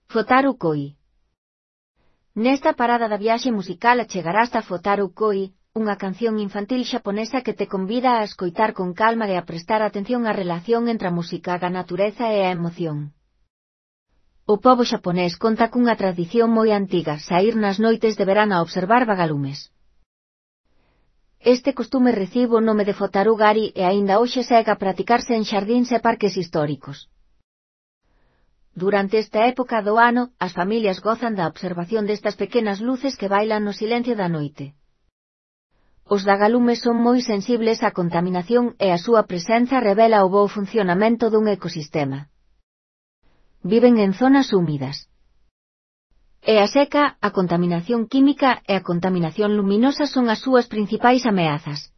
Fotaru Koi. Nesta parada da viaxe musical achegarás a Fotaru Koi, unha canción infantil xaponesa que te convida a escoitar con calma e a prestar atención á relación entre a música, a natureza e a emoción. O pobo xaponés conta cunha tradición moi antiga, saír nas noites de verán a observar vagalumes. Este costume recibe o nome de Fotaru Gari e aínda hoxe segue a practicarse en xardíns e parques históricos. Durante esta época do ano, as familias gozan da observación destas pequenas luces que bailan no silencio da noite. Os vagalumes son moi sensibles á contaminación e a súa presenza revela o bo funcionamento dun ecosistema. Viven en zonas húmidas. E a seca, a contaminación química e a contaminación luminosa son as súas principais ameazas.